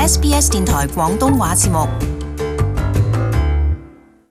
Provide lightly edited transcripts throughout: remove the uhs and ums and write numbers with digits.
SBS 電台廣東話節目。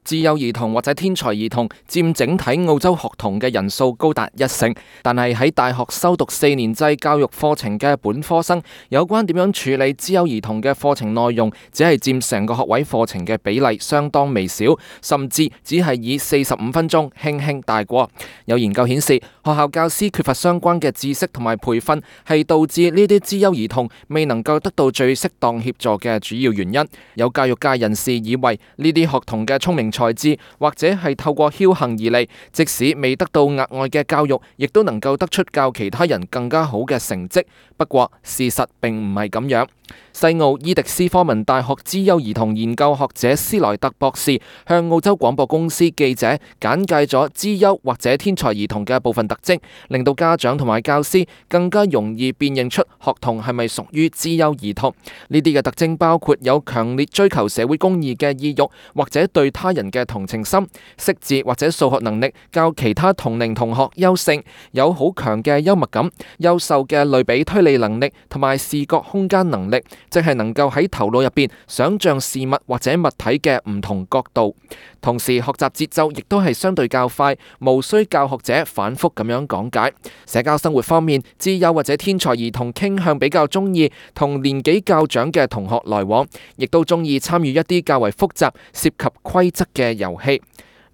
資優兒童或者天才兒童佔整體澳洲學童嘅人數高達1成，但係喺大學修讀4年制教育課程嘅本科生，有關點樣處理資優兒童嘅課程內容，只係佔成個學位課程嘅比例相當微小，甚至只係以45分鐘輕輕帶過。有研究顯示，學校教師缺乏相關嘅知識同埋培訓，係導致呢啲資優兒童未能夠得到最適當協助嘅主要原因。有教育界人士以為呢啲學童嘅聰明才智或者係透過僥倖而嚟，即使未得到額外嘅教育，亦都能夠得出較其他人更加好嘅成績。不過事實並唔係咁樣。西澳伊迪斯科文大學資優兒童研究學者斯萊特博士向澳洲廣播公司記者簡介咗資優或者天才兒童嘅部分特徵，令到家長同埋教師更加容易辨認出學童係咪屬於資優兒童。呢啲嘅特徵包括有強烈追求社會公義嘅意欲，或者對他人嘅同情心，識字或者數學能力較其他同齡同學優勝，有好強嘅幽默感，優秀嘅類比推理能力同埋視覺空間能力，即係能夠喺頭腦入邊想象事物或者物體嘅唔同角度。同時學習節奏亦都係相對較快，無需教學者反覆咁樣講解。社交生活方面，資優或者天才兒童傾向比較中意同年紀較長嘅同學來往，亦都中意參與一啲較為複雜涉及規則嘅遊戲。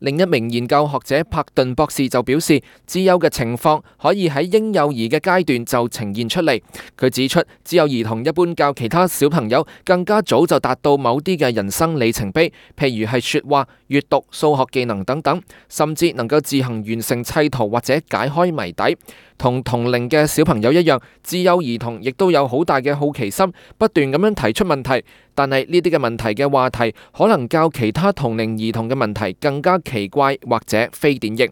另一名研究學者柏頓博士就表示，資優嘅情況可以喺嬰幼兒嘅階段就呈現出嚟。佢指出，資優兒童一般較其他小朋友更加早就達到某啲嘅人生里程碑，譬如係說話、閱讀、數學技能等等，甚至能夠自行完成砌圖或者解開謎底。同齡嘅小朋友一樣，資優兒童亦都有好大嘅好奇心，不斷咁樣提出問題。但係呢啲嘅問題嘅話題，可能較其他同齡兒童嘅問題更加奇怪或者非典型。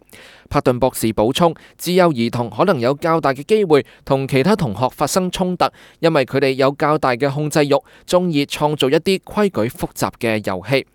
柏頓博士補充，資優兒童可能有較大嘅機會同其他同學發生衝突，因為佢哋有較大嘅控制欲，中意創造一啲規矩複雜嘅遊戲。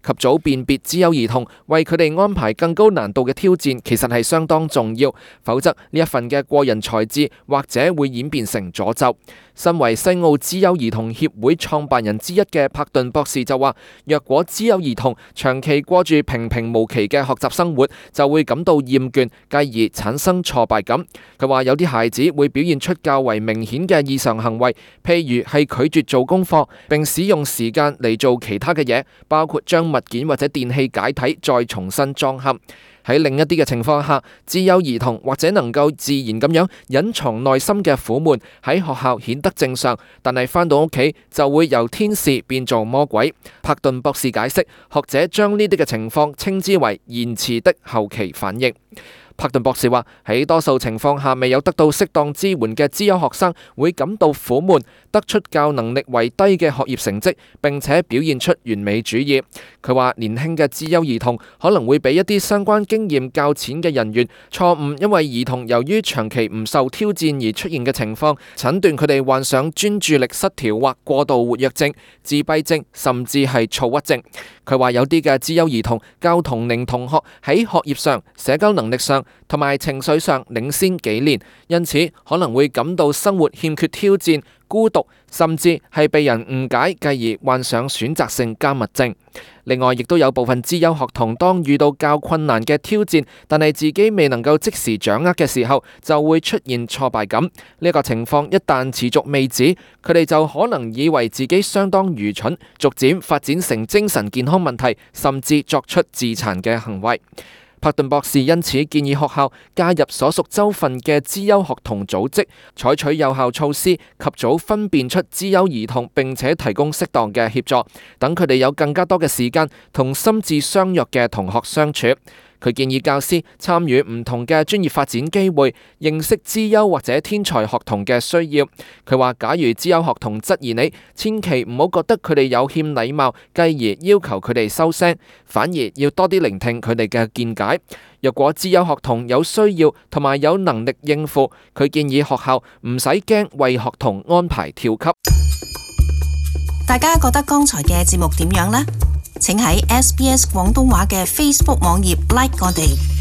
及早辨別資優兒童，為佢哋安排更高難度嘅挑戰，其實係相當重要。否則呢一份嘅過人才智，或者會演變成詛咒。身為西澳資優兒童協會創辦人之一嘅柏頓博士就話，若果資優兒童長期過住平平無奇嘅學習生活，就會感到厭倦，繼而產生挫敗感。佢話有啲孩子會表現出較為明顯嘅異常行為，譬如係拒絕做功課，並使用時間嚟做其他嘅嘢，包括將物件或者電器解體再重新裝嵌。喺另一啲嘅情況下，資優兒童或者能夠自然咁樣隱藏內心嘅苦悶，喺學校顯得正常，但係返到屋企就會由天使變做魔鬼。柏頓博士解釋，學者將呢啲嘅情況稱之為延遲的後期反應。柏頓博士話，喺多數情況下未有得到適當支援嘅資優學生會感到苦悶，得出較能力為低嘅學業成績，並且表現出完美主義。佢話年輕嘅資優兒童可能會俾一啲相關經驗較淺嘅人員錯誤，因為兒童由於長期唔受挑戰而出現嘅情況，診斷佢哋患上專注力失調或過度活躍症、自閉症，甚至係躁鬱症。佢話有啲嘅資優兒童較同齡同學喺學業上、社交能力上同埋情緒上領先幾年，因此可能會感到生活欠缺挑戰、孤獨，甚至係被人誤解，繼而患上選擇性緘默症。另外，亦都有部分資優學童當遇到較困難嘅挑戰，但係自己未能夠即時掌握嘅時候，就會出現挫敗感。呢個情況一旦持續未止，佢哋就可能以為自己相當愚蠢，逐漸發展成精神健康問題，甚至作出自殘嘅行為。柏頓博士因此建議學校加入所屬州份嘅資優學童組織，採取有效措施，及早分辨出資優兒童，並且提供適當嘅協助，等佢哋有更加多嘅時間同心智相若嘅同學相處。佢建議教師參與唔同嘅專業發展機會，認識資優或者天才學童嘅需要。佢話，假如資優學童質疑你，千祈唔好覺得佢哋有欠禮貌，繼而要求佢哋收聲，反而要多啲聆聽佢哋嘅見解。若果資優學童有需要同埋有能力應付，佢建議學校唔使驚為學童安排跳級。大家覺得剛才嘅節目點樣呢？請喺SBS 廣東話嘅 Facebook 網頁 like 我哋。